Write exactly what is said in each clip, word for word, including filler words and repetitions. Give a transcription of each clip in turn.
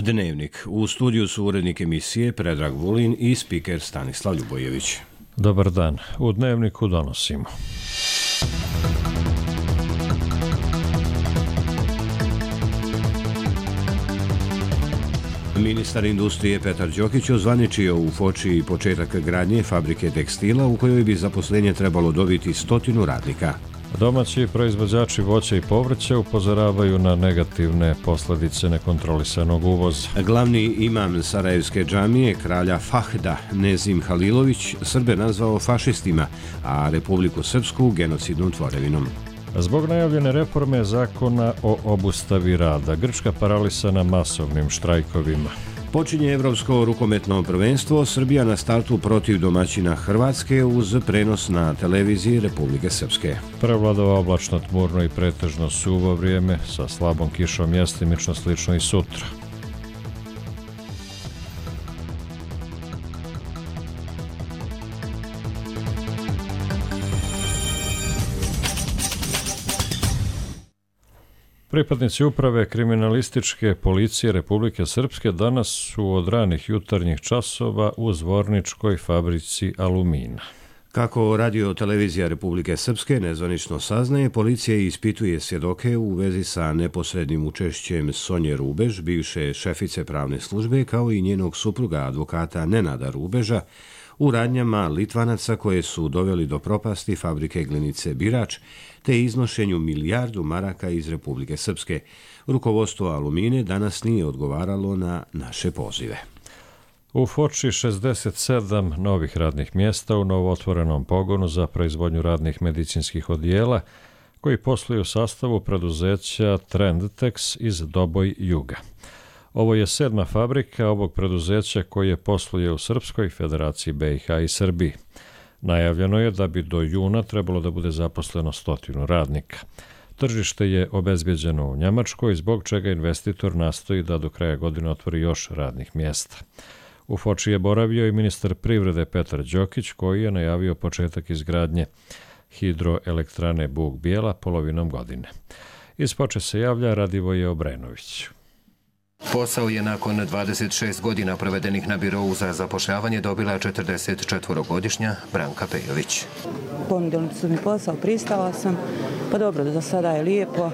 Dnevnik. U studiju su urednik emisije Predrag Vulin i spiker Stanislav Ljubojević. Dobar dan. U Dnevniku donosimo. Ministar industrije Petar Đokić ozvaničio u Foči početak gradnje fabrike tekstila u kojoj bi zaposlenje trebalo dobiti stotinu radnika. Domaći proizvođači voća i povrća upozoravaju na negativne posljedice nekontrolisanog uvoza. Glavni imam Sarajevske džamije, kralja Fahda Nezim Halilović, Srbe nazvao fašistima, a Republiku Srpsku genocidnom tvorevinom. Zbog najavljene reforme zakona o obustavi rada, Grčka paralisana masovnim štrajkovima. Počinje Evropsko rukometno prvenstvo, Srbija na startu protiv domaćina Hrvatske uz prenos na televiziji Republike Srpske. Prevladava oblačno, tmurno i pretežno suvo vrijeme sa slabom kišom, mjestimično slično i sutra. Pripadnici uprave kriminalističke policije Republike Srpske danas su od ranih jutarnjih časova u Zvorničkoj fabrici alumina. Kako radio televizija Republike Srpske nezvanično saznaje, policija ispituje svjedoke u vezi sa neposrednim učešćem Sonje Rubež, bivše šefice pravne službe, kao i njenog supruga advokata Nenada Rubeža, u radnjama Litvanaca koje su doveli do propasti fabrike glinice Birač, te iznošenju milijardu maraka iz Republike Srpske. Rukovodstvo Alumine danas nije odgovaralo na naše pozive. U Foči šezdeset sedam novih radnih mjesta u novootvorenom pogonu za proizvodnju radnih medicinskih odijela koji posluju u sastavu preduzeća Trendtex iz Doboj Juga. Ovo je sedma fabrika ovog preduzeća koje posluje u Srpskoj, Federaciji B i H i Srbiji. Najavljeno je da bi do juna trebalo da bude zaposleno stotinu radnika. Tržište je obezbeđeno u Njemačkoj, zbog čega investitor nastoji da do kraja godine otvori još radnih mjesta. U Foči je boravio i ministar privrede Petar Đokić, koji je najavio početak izgradnje hidroelektrane Buk Bijela polovinom godine. Iz Foče se javlja Radivoje Obrenović. Posao je nakon dvadeset šest godina provedenih na birovu za zapošljavanje dobila četrdeset četvorogodišnja Branka Pejović. Ponudili su mi posao, pristala sam, pa dobro, do sada je lijepo,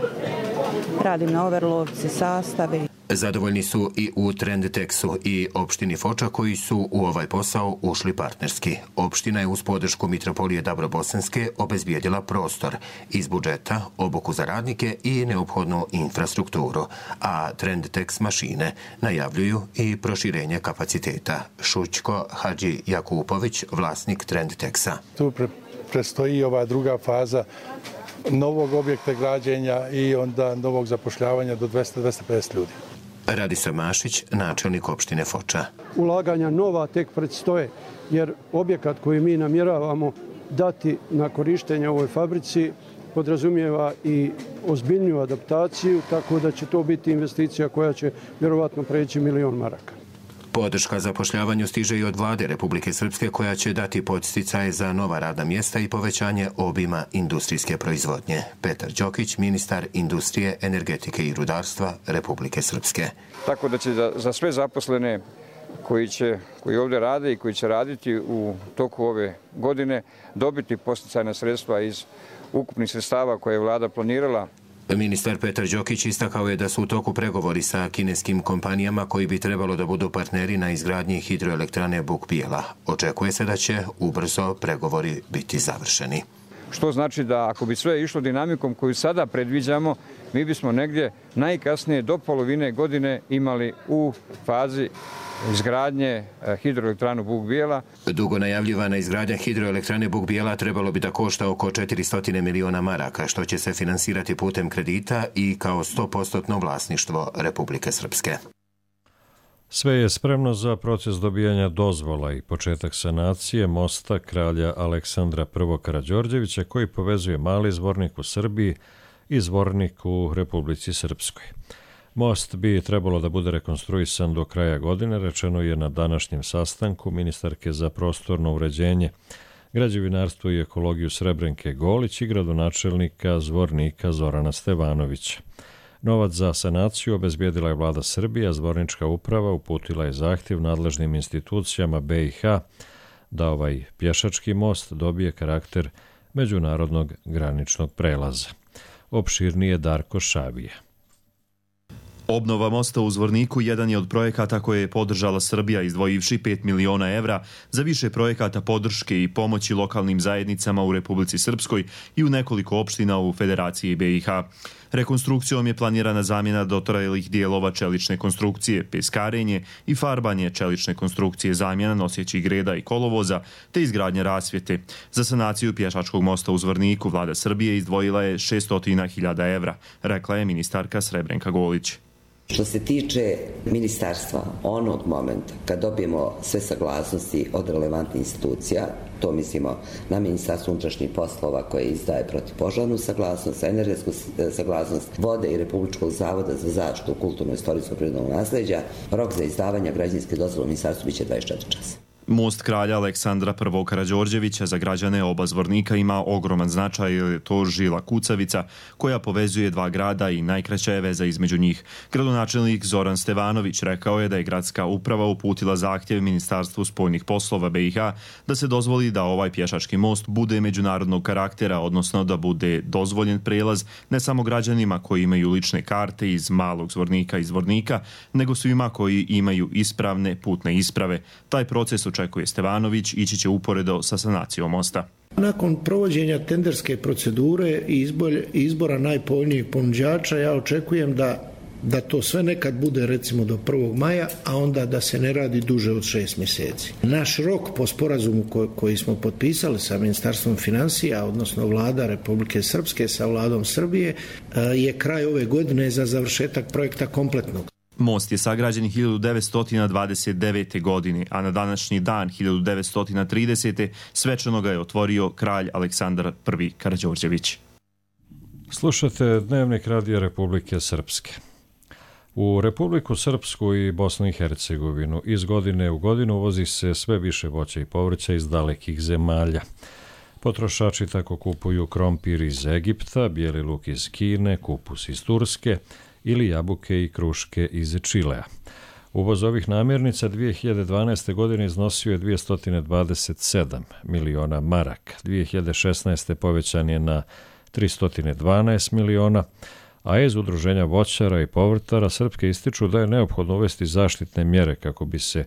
radim na overlovci, sastavi. Zadovoljni su i u Trendtexu i opštini Foča koji su u ovaj posao ušli partnerski. Opština je uz podršku Mitropolije Dabrobosanske obezbijedila prostor iz budžeta, obuku za radnike i neophodnu infrastrukturu, a Trendtex mašine najavljuju i proširenje kapaciteta. Šućko Hadži Jakupović, vlasnik Trendtexa. Tu pre, prestoji ova druga faza novog objekta građenja i onda novog zapošljavanja do dvesta do dvesta pedeset ljudi. Radislav Mašić, načelnik opštine Foča. Ulaganja nova tek predstoje, jer objekat koji mi namjeravamo dati na korištenje ovoj fabrici podrazumijeva i ozbiljniju adaptaciju, tako da će to biti investicija koja će vjerovatno preći milion maraka. Podrška zapošljavanju stiže i od vlade Republike Srpske koja će dati podsticaje za nova radna mjesta i povećanje obima industrijske proizvodnje. Petar Đokić, ministar industrije, energetike i rudarstva Republike Srpske. Tako da će za, za sve zaposlene koji će koji ovdje rade i koji će raditi u toku ove godine dobiti podsticajna sredstva iz ukupnih sredstava koje je vlada planirala. Ministar Petar Đokić istakao je da su u toku pregovori sa kineskim kompanijama koji bi trebalo da budu partneri na izgradnji hidroelektrane Buk Bijela. Očekuje se da će ubrzo pregovori biti završeni. Što znači da ako bi sve išlo dinamikom koju sada predviđamo, mi bismo negdje najkasnije do polovine godine imali u fazi izgradnje hidroelektranu Buk Bijela. Dugo najavljivana izgradnja hidroelektrane Buk Bijela trebalo bi da košta oko četiristo miliona maraka, što će se finansirati putem kredita i kao sto posto vlasništvo Republike Srpske. Sve je spremno za proces dobijanja dozvola i početak sanacije mosta kralja Aleksandra I. Karađorđevića koji povezuje Mali Zvornik u Srbiji i Zvornik u Republici Srpskoj. Most bi trebalo da bude rekonstruisan do kraja godine, rečeno je na današnjem sastanku ministarke za prostorno uređenje, građevinarstvo i ekologiju Srebrenke Golić i gradonačelnika Zvornika Zorana Stevanovića. Novac za sanaciju obezbijedila je vlada Srbije, a zbornička uprava uputila je zahtjev nadležnim institucijama B i H da ovaj pješački most dobije karakter međunarodnog graničnog prelaza. Opširnije Darko Šavije. Obnova mosta u Zvorniku jedan je od projekata koje je podržala Srbija izdvojivši pet miliona evra za više projekata podrške i pomoći lokalnim zajednicama u Republici Srpskoj i u nekoliko opština u Federaciji B i H. Rekonstrukcijom je planirana zamjena dotrajalih dijelova čelične konstrukcije, peskarenje i farbanje čelične konstrukcije, zamjena nosećih greda i kolovoza te izgradnja rasvjete. Za sanaciju pješačkog mosta u Zvorniku vlada Srbije izdvojila je šesto hiljada evra, rekla je ministarka Srebrenka Golić. Što se tiče ministarstva, onog momenta kad dobijemo sve saglasnosti od relevantnih institucija, to mislimo na Ministarstvo unutrašnjih poslova koje izdaje protivpožarnu saglasnost, energetsku saglasnost, vode i Republičkog zavoda za zaštitu kulturno-istorijskog prirodnog nasleđa, rok za izdavanje građevinske dozvole u ministarstvu biće dvadeset četiri časa. Most kralja Aleksandra I. Karađorđevića za građane oba Zvornika ima ogroman značaj, jer je to žila kucavica koja povezuje dva grada i najkraća je veza između njih. Gradonačelnik Zoran Stevanović rekao je da je gradska uprava uputila zahtjev Ministarstvu spoljnih poslova B i H da se dozvoli da ovaj pješački most bude međunarodnog karaktera, odnosno da bude dozvoljen prelaz ne samo građanima koji imaju lične karte iz Malog Zvornika i Zvornika, nego svima koji imaju ispravne putne isprave. Taj proces očekuje Stevanović ići će uporedo sa sanacijom mosta. Nakon provođenja tenderske procedure i izbora najpovoljnijeg ponuđača, ja očekujem da, da to sve nekad bude recimo do prvog maja, a onda da se ne radi duže od šest mjeseci. Naš rok po sporazumu ko, koji smo potpisali sa Ministarstvom financija, odnosno vlada Republike Srpske sa vladom Srbije, je kraj ove godine za završetak projekta kompletnog. Most je sagrađen hiljadu devetsto dvadeset devete. godine, a na današnji dan hiljadu devetsto tridesete. svečano ga je otvorio kralj Aleksandar I. Karađorđević. Slušate Dnevnik Radija Republike Srpske. U Republiku Srpsku i Bosnu i Hercegovinu iz godine u godinu uvozi se sve više voća i povrća iz dalekih zemalja. Potrošači tako kupuju krompir iz Egipta, bijeli luk iz Kine, kupus iz Turske ili jabuke i kruške iz Čilea. Uvoz ovih namirnica dvije hiljade dvanaeste. godine iznosio je dvjesto dvadeset sedam miliona maraka. dvije hiljade šesnaeste. povećan je na tristo dvanaest miliona, a iz Udruženja voćara i povrtara Srpske ističu da je neophodno uvesti zaštitne mjere kako bi se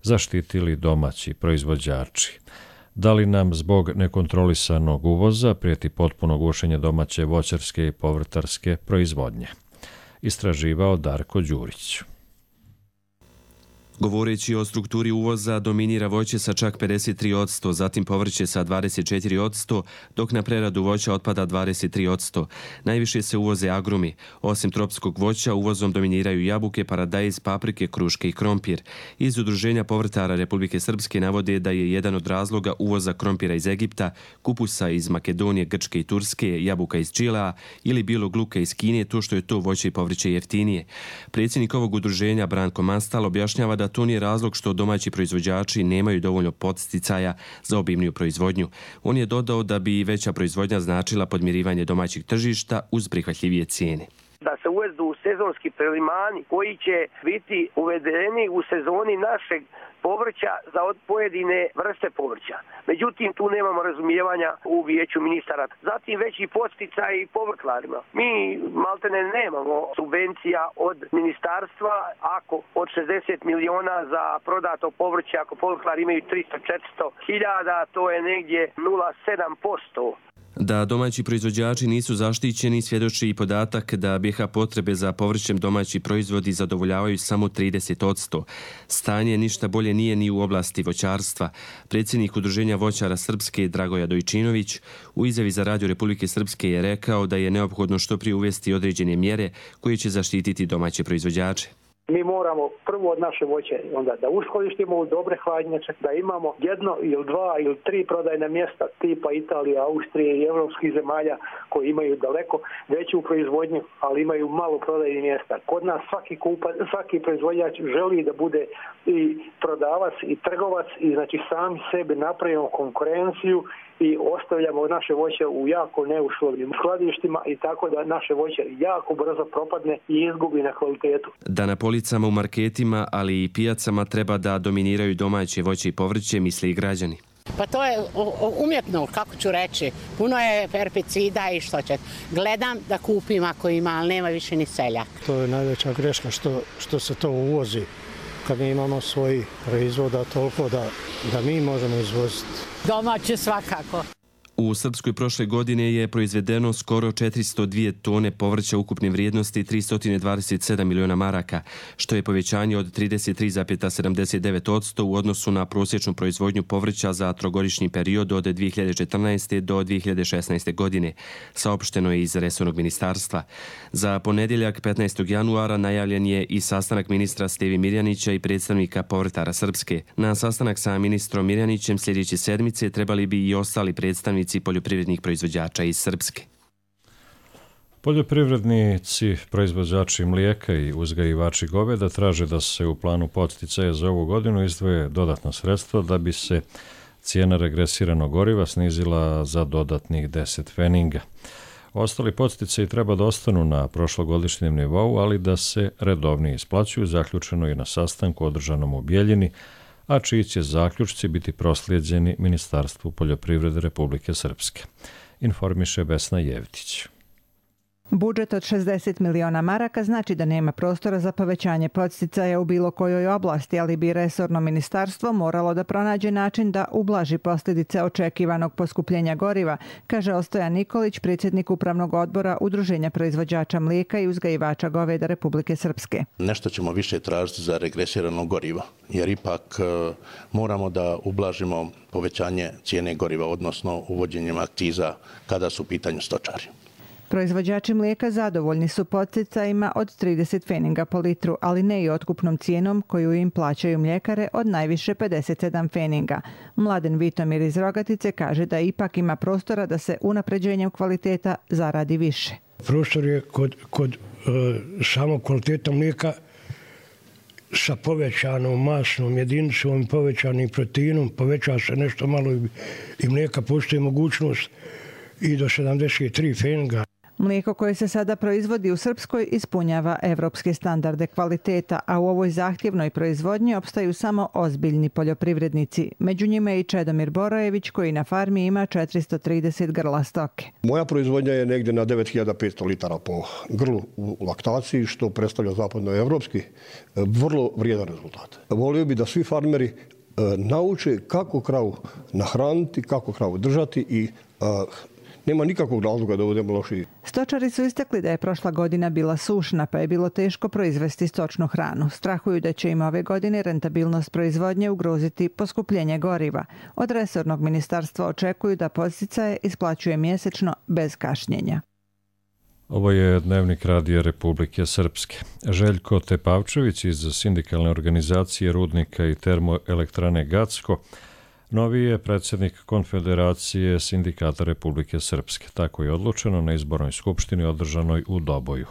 zaštitili domaći proizvođači. Da li nam zbog nekontrolisanog uvoza prijeti potpuno gušenje domaće voćarske i povrtarske proizvodnje? Istraživao Darko Đurić. Govoreći o strukturi uvoza, dominira voće sa čak pedeset tri posto, zatim povrće sa dvadeset četiri posto, dok na preradu voća otpada dvadeset tri posto. Najviše se uvoze agrumi. Osim tropskog voća, uvozom dominiraju jabuke, paradajz, paprike, kruške i krompir. Iz Udruženja povrtara Republike Srpske navode da je jedan od razloga uvoza krompira iz Egipta, kupusa iz Makedonije, Grčke i Turske, jabuka iz Čilea ili bijelog luka iz Kine to što je to voće i povrće jeftinije. Predsjednik ovog udruženja Branko Mastal objašnjava da to nije razlog što domaći proizvođači nemaju dovoljno podsticaja za obimniju proizvodnju. On je dodao da bi veća proizvodnja značila podmirivanje domaćih tržišta uz prihvatljivije cijene. Da se uvedu sezonski prelimani koji će biti uvedeni u sezoni našeg povrća za pojedine vrste povrća. Međutim, tu nemamo razumijevanja u vijeću ministara. Zatim veći podsticaj i povrtlarima. Mi maltene nemamo subvencija od ministarstva ako od šezdeset miliona za prodato povrće, ako povrtlari imaju tristo do četiristo hiljada, to je negdje nula zarez sedam posto. Da domaći proizvođači nisu zaštićeni svjedoči i podatak da B i H potrebe za povrćem domaći proizvodi zadovoljavaju samo trideset posto. Stanje ništa bolje nije ni u oblasti voćarstva. Predsjednik Udruženja voćara Srpske Dragoja Dojčinović u izjavi za Radio Republike Srpske je rekao da je neophodno što prije uvesti određene mjere koje će zaštititi domaće proizvođače. Mi moramo prvo od naše voće onda da uskladištimo u dobre hladnjače, da imamo jedno ili dva ili tri prodajna mjesta tipa Italije, Austrije i evropskih zemalja koji imaju daleko veću proizvodnju, ali imaju malo prodajnih mjesta. Kod nas svaki kupa, svaki proizvođač želi da bude i prodavac i trgovac i znači sami sebi napravimo konkurenciju i ostavljamo naše voće u jako neuslovnim skladištima i tako da naše voće jako brzo propadne i izgubi na kvalitetu. Da na policama u marketima, ali i pijacama treba da dominiraju domaće voće i povrće, misle i građani. Pa to je umjetno, kako ću reći. Puno je herbicida i što će. Gledam da kupim ako ima, ali nema više ni seljak. To je najveća greška što, što se to uvozi. Kad mi imamo svoji proizvoda toliko da, da mi možemo izvoziti. Domaće svakako. U Srpskoj prošle godine je proizvedeno skoro četiristo dvije tone povrća ukupne vrijednosti tristo dvadeset sedam miliona maraka, što je povećanje od trideset tri zarez sedamdeset devet posto u odnosu na prosječnu proizvodnju povrća za trogodišnji period od dvije hiljade četrnaeste. do dvije hiljade šesnaeste. godine, saopšteno je iz resornog ministarstva. Za ponedjeljak petnaestog januara najavljen je i sastanak ministra Stevi Mirjanića i predstavnika povrtara Srpske. Na sastanak sa ministrom Mirjanićem sljedeće sedmice trebali bi i ostali predstavnici poljoprivrednih proizvođača iz Srpske. Poljoprivrednici, proizvođači mlijeka i uzgajivači goveda traže da se u planu podsticaja za ovu godinu izdvoje dodatna sredstva da bi se cijena regresiranog goriva snizila za dodatnih deset pfeninga. Ostali podsticaji treba da ostanu na prošlogodišnjem nivou, ali da se redovnije isplaćuju, zaključeno je na sastanku održanom u Bjeljini, a čiji će zaključci biti proslijeđeni Ministarstvu poljoprivrede Republike Srpske. Informiše Vesna Jevtić. Budžet od šezdeset miliona maraka znači da nema prostora za povećanje podsticaja u bilo kojoj oblasti, ali bi resorno ministarstvo moralo da pronađe način da ublaži posljedice očekivanog poskupljenja goriva, kaže Ostojan Nikolić, predsjednik Upravnog odbora Udruženja proizvođača mlijeka i uzgajivača goveda Republike Srpske. Nešto ćemo više tražiti za regresirano goriva, jer ipak e, moramo da ublažimo povećanje cijene goriva, odnosno uvođenjem akciza kada su u pitanju stočari. Proizvođači mlijeka zadovoljni su podsticajima od trideset pfeninga po litru, ali ne i otkupnom cijenom koju im plaćaju mljekare od najviše pedeset sedam pfeninga. Mladen Vitomir iz Rogatice kaže da ipak ima prostora da se unapređenjem kvaliteta zaradi više. Prostor je kod, kod uh, samog kvaliteta mlijeka sa povećanom masnom jedinicom i povećanim proteinom, poveća se nešto malo i, i mlijeka, postoji mogućnost i do sedamdeset tri pfeninga. Mlijeko koje se sada proizvodi u Srpskoj ispunjava evropske standarde kvaliteta, a u ovoj zahtjevnoj proizvodnji opstaju samo ozbiljni poljoprivrednici. Među njima je i Čedomir Borojević koji na farmi ima četiristo trideset grla stoke. Moja proizvodnja je negdje na devet hiljada petsto litara po grlu u laktaciji, što predstavlja zapadnoevropski vrlo vrijedan rezultat. Volio bi da svi farmeri nauče kako kravu nahraniti, kako kravu držati i nema nikakvog razloga da budemo lošiji. Stočari su istakli da je prošla godina bila sušna, pa je bilo teško proizvesti stočnu hranu. Strahuju da će im ove godine rentabilnost proizvodnje ugroziti poskupljenje goriva. Od resornog ministarstva očekuju da podsticaje isplaćuje mjesečno bez kašnjenja. Ovo je Dnevnik Radija Republike Srpske. Željko Tepavčević iz sindikalne organizacije Rudnika i termoelektrane Gacko novi je predsjednik Konfederacije sindikata Republike Srpske. Tako je odlučeno na izbornoj skupštini održanoj u Doboju.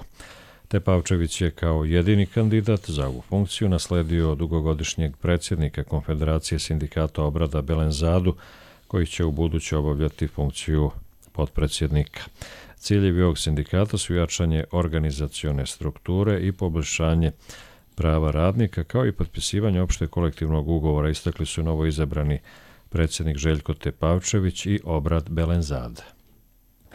Tepavčević je kao jedini kandidat za ovu funkciju nasledio dugogodišnjeg predsjednika Konfederacije sindikata Obrada Belenzadu, koji će u buduće obavljati funkciju potpredsjednika. Ciljevi ovog sindikata su jačanje organizacione strukture i poboljšanje prava radnika, kao i potpisivanje opšte kolektivnog ugovora, istakli su novo izabrani predsjednik Željko Tepavčević i Obrad Belenzade.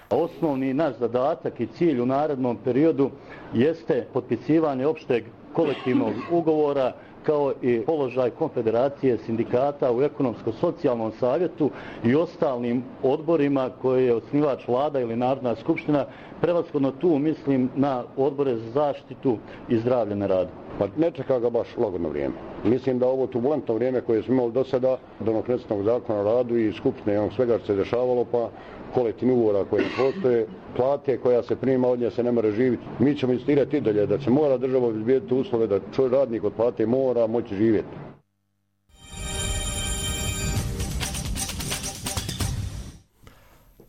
Osnovni naš zadatak i cilj u narednom periodu jeste potpisivanje opšteg kolektivnog ugovora kao i položaj Konfederacije sindikata u ekonomsko-socijalnom savjetu i ostalim odborima koje je osnivač vlada ili Narodna skupština. Prevashodno tu mislim na odbore za zaštitu i zdravlje na radu. Pa ne čeka ga baš lagodno vrijeme. Mislim da ovo turbulentno vrijeme koje smo imali do sada, donokresnog zakona o radu i skupštine i onog svega što se dešavalo, pa kolektivni ugovora koji postoje, plate koja se prima od nje se ne mora živjeti. Mi ćemo insistirati i dalje da se mora država obezbijediti uslove da čovjek radnik od plate mora moći živjeti.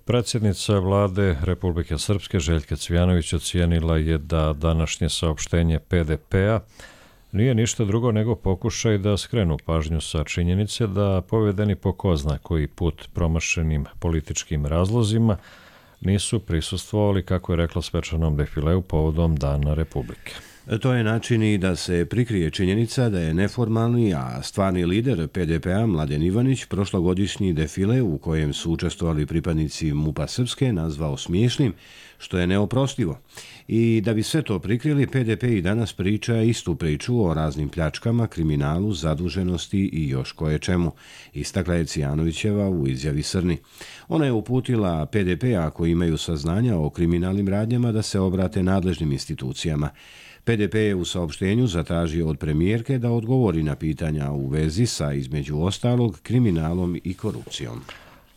Predsjednica vlade Republike Srpske Željka Cvijanović ocijenila je da današnje saopštenje P D P-a nije ništa drugo nego pokušaj da skrenu pažnju sa činjenice da povedeni po ko zna koji put promašenim političkim razlozima nisu prisustvovali, kako je rekla, svečanom defileu povodom Dana Republike. To je način i da se prikrije činjenica da je neformalni, a stvarni lider P D P-a Mladen Ivanić prošlogodišnji defile u kojem su učestvovali pripadnici MUP-a Srpske nazvao smiješnim, što je neoprostivo. I da bi sve to prikrili, P D P i danas priča istu priču o raznim pljačkama, kriminalu, zaduženosti i još koje čemu, istakla je Cijanovićeva u izjavi Srni. Ona je uputila P D P ako imaju saznanja o kriminalnim radnjama da se obrate nadležnim institucijama. P D P je u saopštenju zatražio od premijerke da odgovori na pitanja u vezi sa, između ostalog, kriminalom i korupcijom.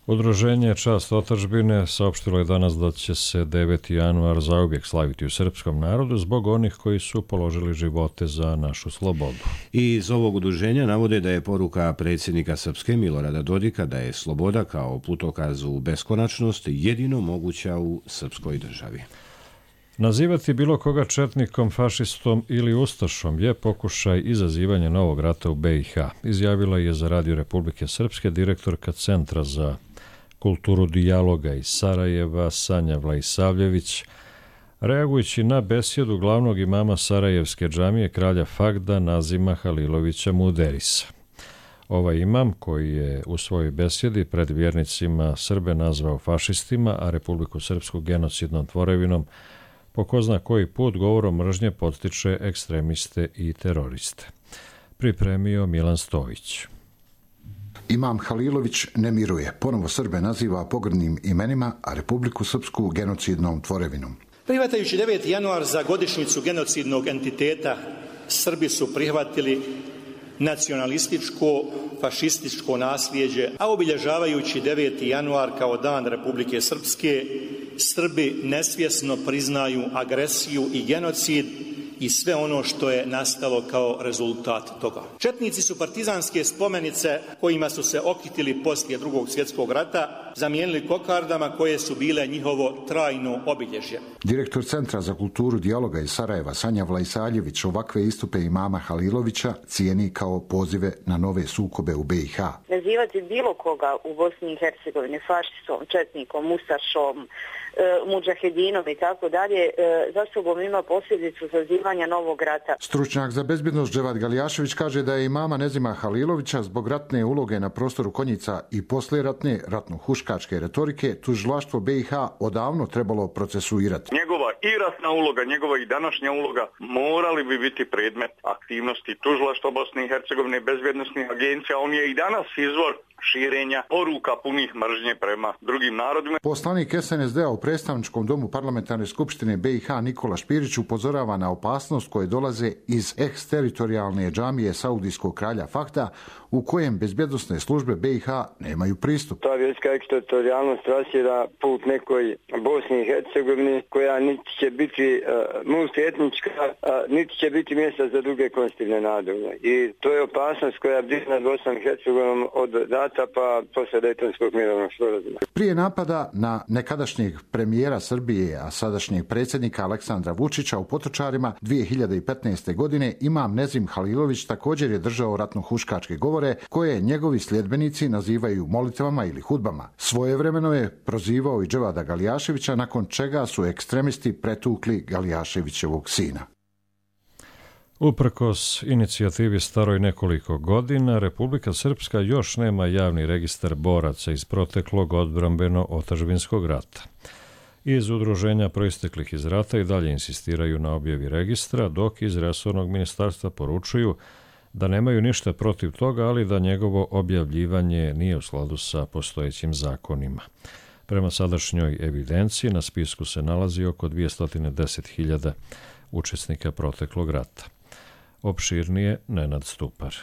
Udruženje Čast otadžbine saopštilo je danas da će se deveti januar zauvijek slaviti u srpskom narodu zbog onih koji su položili živote za našu slobodu. I iz ovog udruženja navode da je poruka predsjednika Srpske Milorada Dodika da je sloboda kao putokaz u beskonačnost jedino moguća u srpskoj državi. Nazivati bilo koga četnikom, fašistom ili ustašom je pokušaj izazivanja novog rata u B i H, izjavila je za Radio Republike Srpske direktorka Centra za kulturu dijaloga iz Sarajeva Sanja Vlaisavljević, reagujući na besjedu glavnog imama Sarajevske džamije kralja Fagda Nazima Halilovića Muderisa. Ovaj imam, koji je u svojoj besjedi pred vjernicima Srbe nazvao fašistima, a Republiku Srpsku genocidnom tvorevinom, po ko zna koji put govorom mržnje podstiče ekstremiste i teroriste. Pripremio Milan Stojić. Imam Halilović ne miruje, ponovo Srbe naziva pogrdnim imenima, a Republiku Srpsku genocidnom tvorevinom. Prihvatajući deveti januar za godišnjicu genocidnog entiteta, Srbi su prihvatili nacionalističko, fašističko nasljeđe, a obilježavajući deveti januar kao dan Republike Srpske, Srbi nesvjesno priznaju agresiju i genocid i sve ono što je nastalo kao rezultat toga. Četnici su partizanske spomenice kojima su se okitili poslije drugog svjetskog rata zamijenili kokardama koje su bile njihovo trajno obilježje. Direktor Centra za kulturu dijaloga iz Sarajeva Sanja Vlaisavljević ovakve istupe imama Halilovića cijeni kao pozive na nove sukobe u B i H. Nazivati bilo koga u Bosni i Hercegovini fašistom, četnikom, ustašom, mudžahedinom i tako dalje, za sobom ima posljedicu zazivanja novog rata. Stručnjak za bezbjednost Dževad Galijašević kaže da je imama Nezima Halilovića zbog ratne uloge na prostoru Konjica i poslijeratne ratno-huškačke retorike tužilaštvo B i H odavno trebalo procesuirati. Njegova i ratna uloga, njegova i današnja uloga morali bi biti predmet aktivnosti tužilaštva Bosne i Hercegovine, bezbjednosnih agencija. On je i danas izvor širenja poruka punih mržnje prema drugim narodima. Poslanik S N S D-a u predstavničkom domu parlamentarne skupštine B i H Nikola Špirić upozorava na opasnost koje dolaze iz eksteritorijalne džamije Saudijskog kralja Fahda, u kojem bezbjednosne službe B i H nemaju pristup. Ta vjerska eksteritorijalnost trasira put nekoj Bosni i Hercegovini koja niti će biti uh, multietnička, uh, niti će biti mjesta za druge konstitutivne narode. I to je opasnost koja bdi nad Bosnom i Hercegovinom od data pa posle Dejtonskog mirovnog sporazuma. Prije napada na nekadašnjeg premijera Srbije, a sadašnjeg predsjednika Aleksandra Vučića u Potočarima dvije hiljade petnaeste. godine, imam Nezim Halilović također je držao ratno-huškačke govore koje njegovi sljedbenici nazivaju molitvama ili hudbama. Svojevremeno je prozivao i Dževada Galijaševića, nakon čega su ekstremisti pretukli Galijaševićevog sina. Uprkos inicijativi staroj nekoliko godina, Republika Srpska još nema javni registar boraca iz proteklog odbrambeno-otadžbinskog rata. Iz udruženja proisteklih iz rata i dalje insistiraju na objavi registra, dok iz resornog ministarstva poručuju da nemaju ništa protiv toga, ali da njegovo objavljivanje nije u skladu sa postojećim zakonima. Prema sadašnjoj evidenciji na spisku se nalazi oko dvjesto deset hiljada učesnika proteklog rata. Opširnije Nenad Stupar.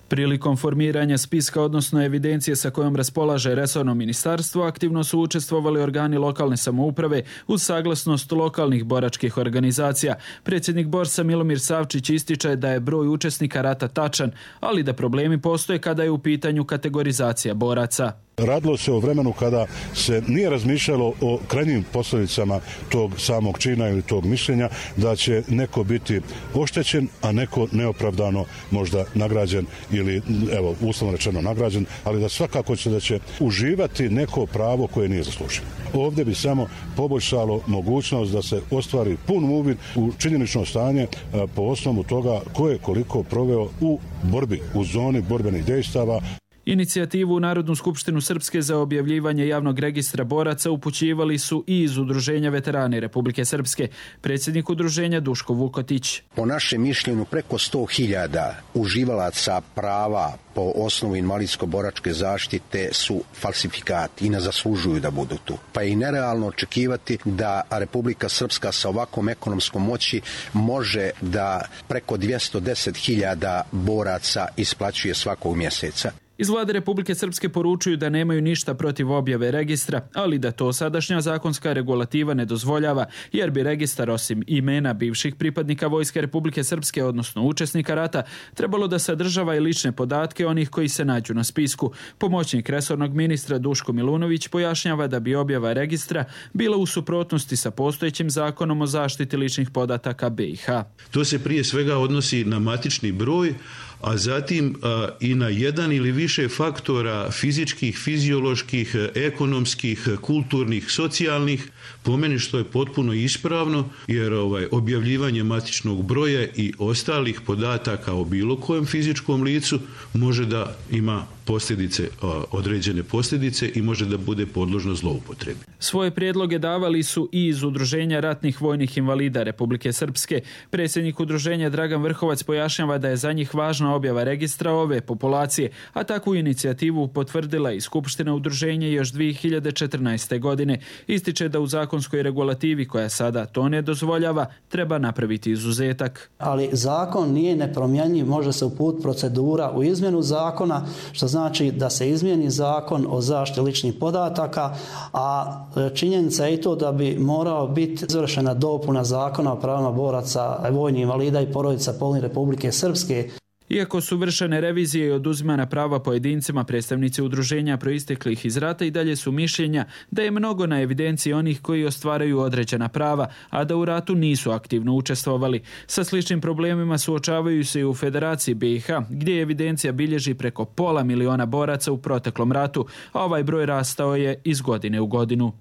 Prilikom formiranja spiska, odnosno evidencije sa kojom raspolaže resorno ministarstvo, aktivno su učestvovali organi lokalne samouprave uz saglasnost lokalnih boračkih organizacija. Predsjednik Borsa Milomir Savčić ističe da je broj učesnika rata tačan, ali da problemi postoje kada je u pitanju kategorizacija boraca. Radilo se o vremenu kada se nije razmišljalo o krajnjim posljedicama tog samog čina ili tog mišljenja, da će neko biti oštećen, a neko neopravdano možda nagrađen ili, evo, uslovno rečeno nagrađen, ali da svakako će da će uživati neko pravo koje nije zaslužio. Ovdje bi samo poboljšalo mogućnost da se ostvari pun uvid u činjenično stanje po osnovu toga ko je koliko proveo u borbi, u zoni borbenih dejstava. Inicijativu u Narodnu skupštinu Srpske za objavljivanje javnog registra boraca upućivali su i iz Udruženja veterani Republike Srpske. Predsjednik udruženja Duško Vukotić. Po našem mišljenju preko sto hiljada uživalaca prava po osnovu invalidsko-boračke zaštite su falsifikati i ne zaslužuju da budu tu. Pa je i nerealno očekivati da Republika Srpska sa ovakvom ekonomskom moći može da preko dvjesto deset hiljada boraca isplaćuje svakog mjeseca. Iz Vlade Republike Srpske poručuju da nemaju ništa protiv objave registra, ali da to sadašnja zakonska regulativa ne dozvoljava, jer bi registar osim imena bivših pripadnika Vojske Republike Srpske, odnosno učesnika rata, trebalo da sadržava i lične podatke onih koji se nađu na spisku. Pomoćnik resornog ministra Duško Milunović pojašnjava da bi objava registra bila u suprotnosti sa postojećim zakonom o zaštiti ličnih podataka B i H. To se prije svega odnosi na matični broj, a zatim a, i na jedan ili više faktora fizičkih, fizioloških, ekonomskih, kulturnih, socijalnih, po meni što je potpuno ispravno, jer ovaj, objavljivanje matičnog broja i ostalih podataka o bilo kojem fizičkom licu može da ima posljedice, određene posljedice i može da bude podložno zloupotrebi. Svoje prijedloge davali su i iz Udruženja ratnih vojnih invalida Republike Srpske. Predsjednik udruženja Dragan Vrhovac pojašnjava da je za njih važna objava registra ove populacije, a takvu inicijativu potvrdila i Skupština udruženja još dvije hiljade četrnaeste. godine. Ističe da u zakonskoj regulativi koja sada to ne dozvoljava, treba napraviti izuzetak. Ali zakon nije nepromjenjiv, može se uputiti procedura u izmjenu zakona, što znači da se izmijeni zakon o zaštiti ličnih podataka, a činjenica je i to da bi morao biti izvršena dopuna zakona o pravima boraca, vojnih invalida i porodica poginulih Republike Srpske. Iako su vršene revizije i oduzimana prava pojedincima, predstavnici udruženja proisteklih iz rata i dalje su mišljenja da je mnogo na evidenciji onih koji ostvaraju određena prava, a da u ratu nisu aktivno učestvovali. Sa sličnim problemima suočavaju se i u Federaciji B i H, gdje evidencija bilježi preko pola miliona boraca u proteklom ratu, a ovaj broj rastao je iz godine u godinu.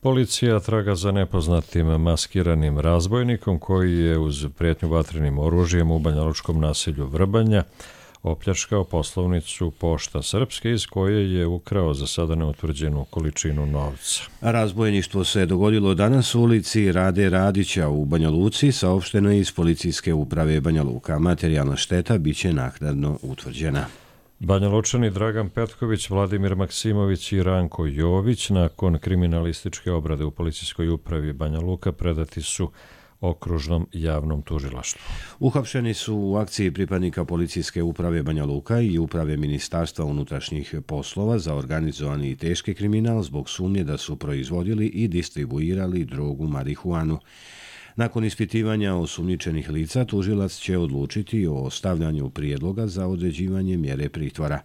Policija traga za nepoznatim maskiranim razbojnikom koji je uz prijetnju vatrenim oružjem u banjalučkom naselju Vrbanja opljačkao poslovnicu Pošta Srpske iz koje je ukrao za sada neutvrđenu količinu novca. Razbojništvo se dogodilo danas u ulici Rade Radića u Banja Luci, saopšteno iz Policijske uprave Banja Luka. Materijalna šteta biće naknadno utvrđena. Banja Lučani Dragan Petković, Vladimir Maksimović i Ranko Jović nakon kriminalističke obrade u Policijskoj upravi Banja Luka predati su okružnom javnom tužilaštvu. Uhapšeni su u akciji pripadnika Policijske uprave Banja Luka i uprave Ministarstva unutrašnjih poslova za organizovani i teški kriminal zbog sumnje da su proizvodili i distribuirali drogu marihuanu. Nakon ispitivanja osumnjičenih lica, tužilac će odlučiti o ostavljanju prijedloga za određivanje mjere pritvora.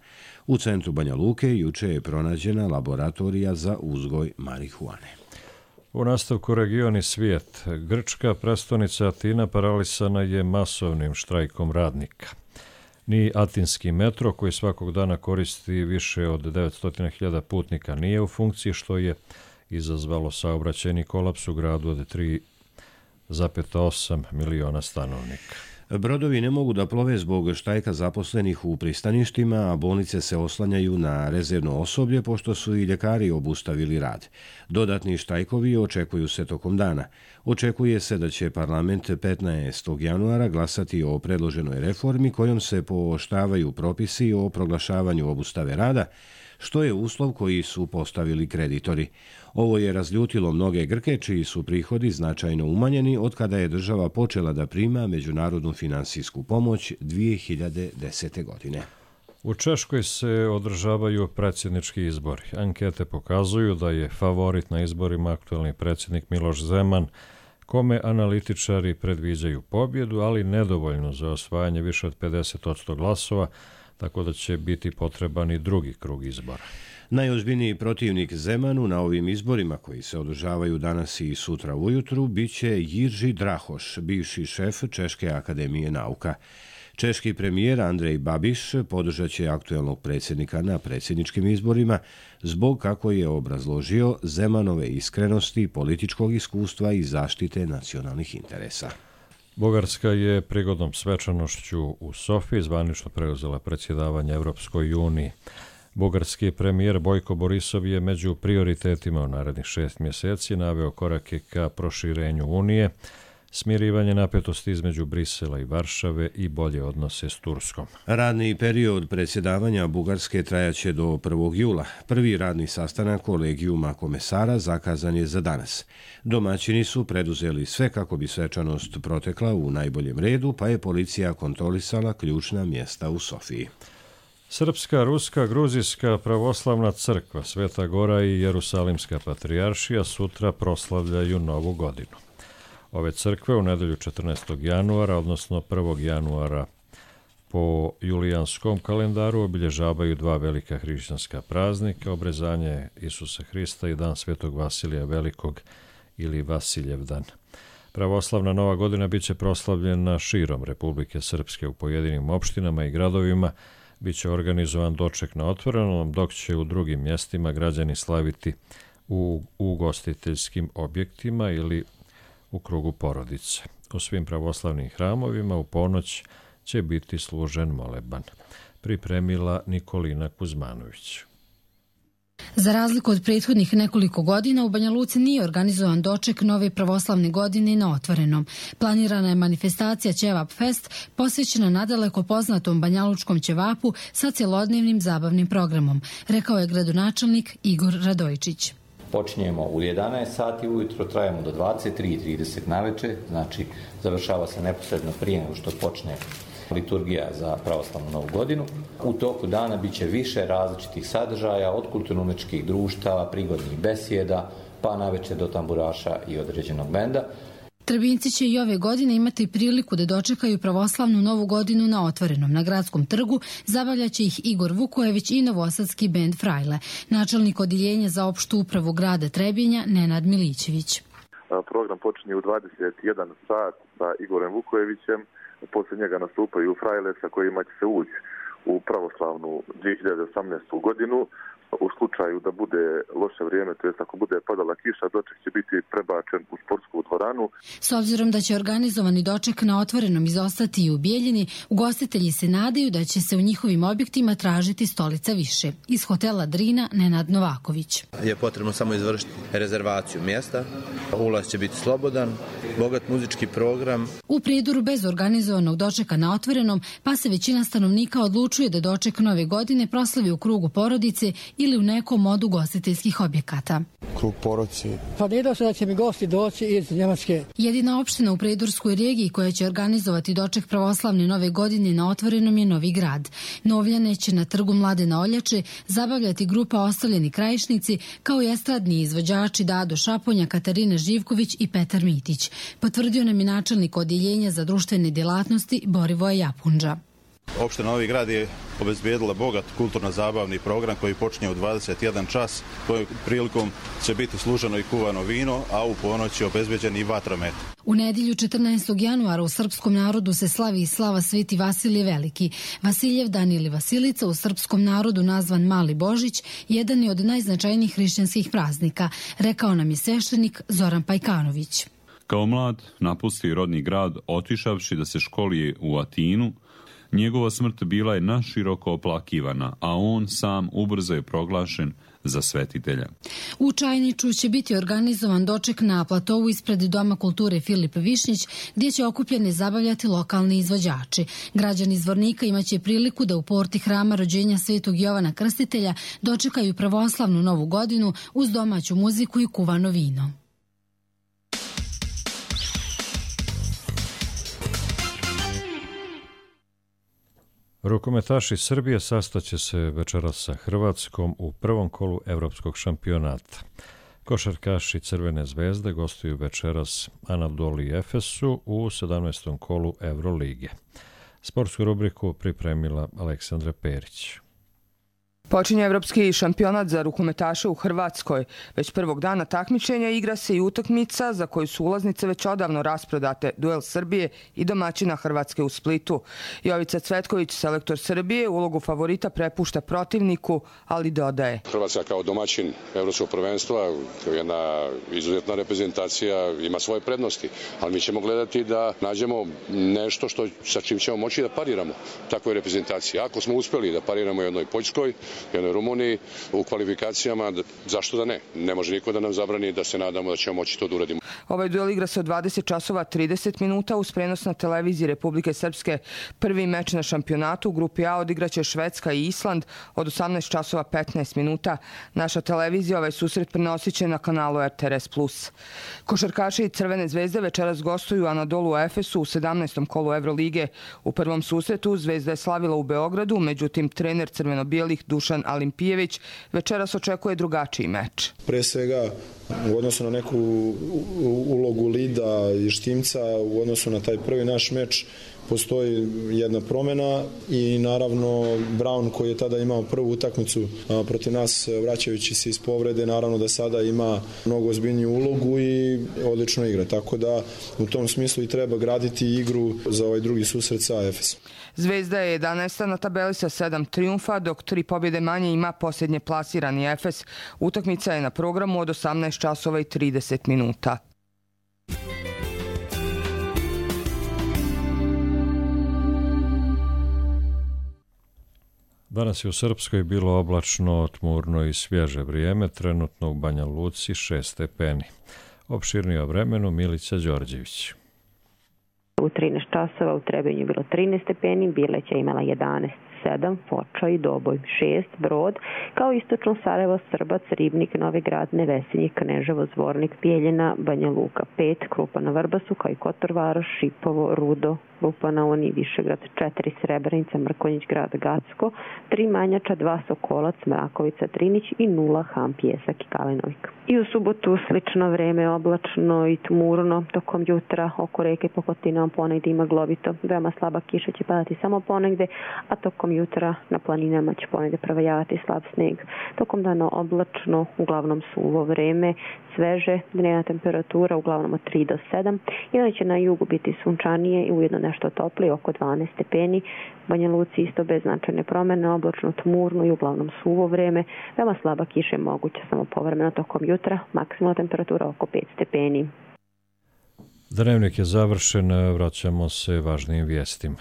U centru Banja Luke juče je pronađena laboratorija za uzgoj marihuane. U nastavku regioni svijet, grčka prestonica Atina paralisana je masovnim štrajkom radnika. Ni atinski metro, koji svakog dana koristi više od devetsto hiljada putnika, nije u funkciji, što je izazvalo saobraćajni kolaps u gradu od tri zarez osam miliona stanovnika. Brodovi ne mogu da plove zbog štrajka zaposlenih u pristaništima, a bolnice se oslanjaju na rezervno osoblje pošto su i ljekari obustavili rad. Dodatni štrajkovi očekuju se tokom dana. Očekuje se da će parlament petnaestog januara glasati o predloženoj reformi kojom se pooštravaju propisi o proglašavanju obustave rada, što je uslov koji su postavili kreditori. Ovo je razljutilo mnoge Grke čiji su prihodi značajno umanjeni od kada je država počela da prima međunarodnu finansijsku pomoć dvije hiljade desete. godine. U Češkoj se održavaju predsjednički izbori. Ankete pokazuju da je favorit na izborima aktuelni predsjednik Miloš Zeman, kome analitičari predviđaju pobjedu, ali nedovoljno za osvajanje više od pedeset posto glasova, tako da će biti potreban i drugi krug izbora. Najozbiljniji protivnik Zemanu na ovim izborima koji se održavaju danas i sutra ujutru biće Jirži Drahoš, bivši šef Češke akademije nauka. Češki premijer Andrej Babiš podržat će aktuelnog predsjednika na predsjedničkim izborima zbog, kako je obrazložio, Zemanove iskrenosti, političkog iskustva i zaštite nacionalnih interesa. Bugarska je prigodnom svečanošću u Sofiji zvanično preuzela predsjedavanje Evropskoj uniji. Bugarski premijer Bojko Borisov je među prioritetima u narednih šest mjeseci naveo korake ka proširenju Unije, smirivanje napetosti između Brisela i Varšave i bolje odnose s Turskom. Radni period predsjedavanja Bugarske trajaće do prvog jula. Prvi radni sastanak kolegijuma komesara zakazan je za danas. Domaćini su preduzeli sve kako bi svečanost protekla u najboljem redu, pa je policija kontrolisala ključna mjesta u Sofiji. Srpska, Ruska, Gruzijska pravoslavna crkva, Sveta Gora i Jerusalimska patrijaršija sutra proslavljaju Novu godinu. Ove crkve u nedelju četrnaestog januara, odnosno prvog januara po julijanskom kalendaru, obilježavaju dva velika hrišćanska praznika, obrezanje Isusa Hrista i dan Svetog Vasilija Velikog ili Vasiljevdan. Pravoslavna Nova godina biće proslavljena širom Republike Srpske u pojedinim opštinama i gradovima. Biće organizovan doček na otvorenom, dok će u drugim mjestima građani slaviti u ugostiteljskim objektima ili u krugu porodice. U svim pravoslavnim hramovima u ponoć će biti služen moleban. Pripremila Nikolina Kuzmanović. Za razliku od prethodnih nekoliko godina, u Banja Luci nije organizovan doček nove pravoslavne godine na otvorenom. Planirana je manifestacija Ćevap Fest, posvećena nadaleko poznatom banjalučkom ćevapu sa cjelodnevnim zabavnim programom, rekao je gradonačelnik Igor Radojčić. Počinjemo u jedanaest sati ujutro, trajemo do dvadeset tri i trideset naveče, znači završava se neposredno prije nego što počne liturgija za pravoslavnu Novu godinu. U toku dana bit će više različitih sadržaja, od kulturno-umjetničkih društava, prigodnih besjeda, pa naveče do tamburaša i određenog benda. Trebinci će i ove godine imati priliku da dočekaju pravoslavnu Novu godinu na otvorenom. Na gradskom trgu zabavljaće ih Igor Vukojević i novosadski bend Frajle. Načelnik odjeljenja za opštu upravu grada Trebinja Nenad Milićević. Program počinje u dvadeset jedan sat sa Igorem Vukojevićem. Poslije njega nastupaju Frajle sa kojima će se ući u pravoslavnu dvije hiljade osamnaestu. godinu. U slučaju da bude loše vrijeme, to jest ako bude padala kiša, doček će biti prebačen u sportsku dvoranu. S obzirom da će organizovani doček na otvorenom izostati i u Bijeljini, ugostitelji se nadaju da će se u njihovim objektima tražiti stolica više. Iz hotela Drina Nenad Novaković. Je potrebno samo izvršiti rezervaciju mjesta, ulaz će biti slobodan, bogat muzički program. U Prijedoru bez organizovanog dočeka na otvorenom, pa se većina stanovnika odlučuje da doček nove godine proslavi u krugu porodice ili u nekom od ugostiteljskih objekata. Krug porodice. Pa ne se da će mi gosti doći iz Njemačke. Jedina opština u Prijedorskoj regiji koja će organizovati doček pravoslavne Nove godine na otvorenom je Novi Grad. Novljane će na trgu Mladena Oljače zabavljati grupa Ostavljeni krajišnici, kao i estradni izvođači Dado Šaponja, Katarina Živković i Petar Mitić. Potvrdio nam je načelnik odjeljenja za društvene djelatnosti Borivoje Japunđa. Opština Novi Grad je obezbijedila bogat kulturno-zabavni program koji počinje u dvadeset jedan čas, kojom prilikom će biti služeno i kuvano vino, a u ponoć je obezbeđen i vatromet. U nedjelju četrnaestog januara u srpskom narodu se slavi i slava Sveti Vasilije Veliki. Vasiljevdan ili Vasilica, u srpskom narodu nazvan Mali Božić, jedan je od najznačajnijih hrišćanskih praznika, rekao nam je sveštenik Zoran Pajkanović. Kao mlad napusti rodni grad otišavši da se školije u Atinu. Njegova smrt bila je naširoko oplakivana, a on sam ubrzo je proglašen za svetitelja. U Čajniču će biti organizovan doček na platovu ispred Doma kulture Filip Višnjić, gdje će okupljeni zabavljati lokalni izvođači. Građani iz Zvornika imaće priliku da u porti hrama rođenja Svetog Jovana Krstitelja dočekaju pravoslavnu novu godinu uz domaću muziku i kuvano vino. Rukometaši Srbije sastaće se večeras sa Hrvatskom u prvom kolu evropskog šampionata. Košarkaši Crvene zvezde gostuju večeras Anadolu Efesu u sedamnaestom kolu Evrolige. Sportsku rubriku pripremila Aleksandra Perić. Počinje evropski šampionat za rukometaše u Hrvatskoj. Već prvog dana takmičenja igra se i utakmica za koju su ulaznice već odavno rasprodate, duel Srbije i domaćina Hrvatske u Splitu. Jovica Cvetković, selektor Srbije, ulogu favorita prepušta protivniku, ali dodaje. Hrvatska kao domaćin evropskog prvenstva, kao jedna izuzetna reprezentacija, ima svoje prednosti, ali mi ćemo gledati da nađemo nešto što, sa čim ćemo moći da pariramo takvoj reprezentaciji. Ako smo uspjeli da pariramo jednoj Poljskoj, jednoj Rumuniji u kvalifikacijama, zašto da ne? Ne može niko da nam zabrani da se nadamo da ćemo moći to da uradimo. Ovaj duel igra se od dvadeset časova trideset minuta uz prenos na televiziji Republike Srpske. Prvi meč na šampionatu u grupi A odigraće Švedska i Island od osamnaest časova petnaest minuta. Naša televizija ovaj susret prenosit će na kanalu R T R S plus. Košarkaši Crvene zvezde večeras gostuju Anadolu Efesu u sedamnaestom kolu Evrolige. U prvom susretu Zvezda je slavila u Beogradu, međutim trener crveno-bijelih Dušan Alimpijević večeras očekuje drugačiji meč. Pre svega u odnosu na neku ulogu Lida i Štimca, u odnosu na taj prvi naš meč postoji jedna promjena i naravno Brown koji je tada imao prvu utakmicu protiv nas vraćajući se iz povrede, naravno da sada ima mnogo ozbiljniju ulogu i odlično igra. Tako da u tom smislu i treba graditi igru za ovaj drugi susret sa Efesom. Zvezda je jedanaesta na tabeli sa sedam trijumfa, dok tri pobjede manje ima posljednje plasirani Efes. Utakmica je na programu od osamnaest časova i trideset minuta. Danas je u Srpskoj bilo oblačno, tmurno i svježe vrijeme, trenutno u Banja Luci šest stepeni. Opširnije o vremenu Milica Đorđević. U trinaest časova u Trebinju je bilo trinaest stepeni, Bileća imala jedanaest, sedam, Foča i Doboj šest, Brod, kao istočno Sarajevo, Srbac, Ribnik, Novi Grad, Nevesinje, Kneževo, Zvornik, Bijeljina, Banja Luka pet, Krupa na Vrbasu, kao i Kotor Varoš, Šipovo, Rudo, Lupa na Oni, Višegrad četiri, Srebrenica, Mrkonjić Grad, Gacko, tri Manjača, dva Sokolac, Mrakovica, Trinić i nula Ham, Pjesak i Kalinovik. I u subotu slično vreme, oblačno i tmurno, tokom jutra oko reke Pokotinom ponegdje ima glovito, veoma slaba kiša će padati samo ponegdje, a tokom jutra na planinama će ponegdje provajavati slab sneg. Tokom dana oblačno, uglavnom suvo vreme, sveže, dnevna temperatura uglavnom od tri do sedam, i onda će na jugu biti sunčanije i ujedno nešto toplije, oko dvanaest stepeni. Banja Luci isto bez značajne promjene, oblačno, tmurno i uglavnom suvo vreme, veoma slaba kiša je moguća samo povremeno tokom jutra, maksimalna temperatura oko pet stepeni. Dnevnik je završen, vraćamo se važnijim vijestima.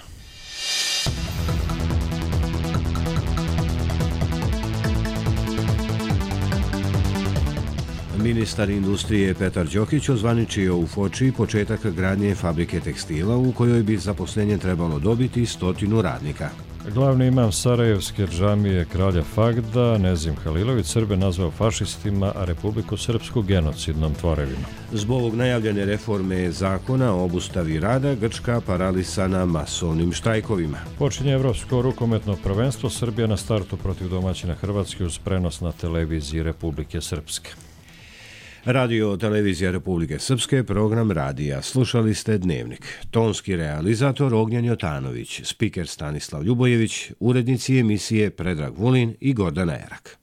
Ministar industrije Petar Đokić ozvaničio u Foči početak gradnje fabrike tekstila u kojoj bi zaposlenje trebalo dobiti stotinu radnika. Glavni imam Sarajevske džamije kralja Fagda, Nezim Halilović, Srbe nazvao fašistima, a Republiku Srpsku genocidnom tvorevinom. Zbog najavljene reforme zakona o obustavi rada, Grčka paralisana masovnim štrajkovima. Počinje Evropsko rukometno prvenstvo, Srbija na startu protiv domaćina Hrvatske uz prenos na televiziji Republike Srpske. Radio televizija Republike Srpske, program radija. Slušali ste Dnevnik. Tonski realizator Ognjen Jotanović, spiker Stanislav Ljubojević, urednici emisije Predrag Vulin i Gordana Erak.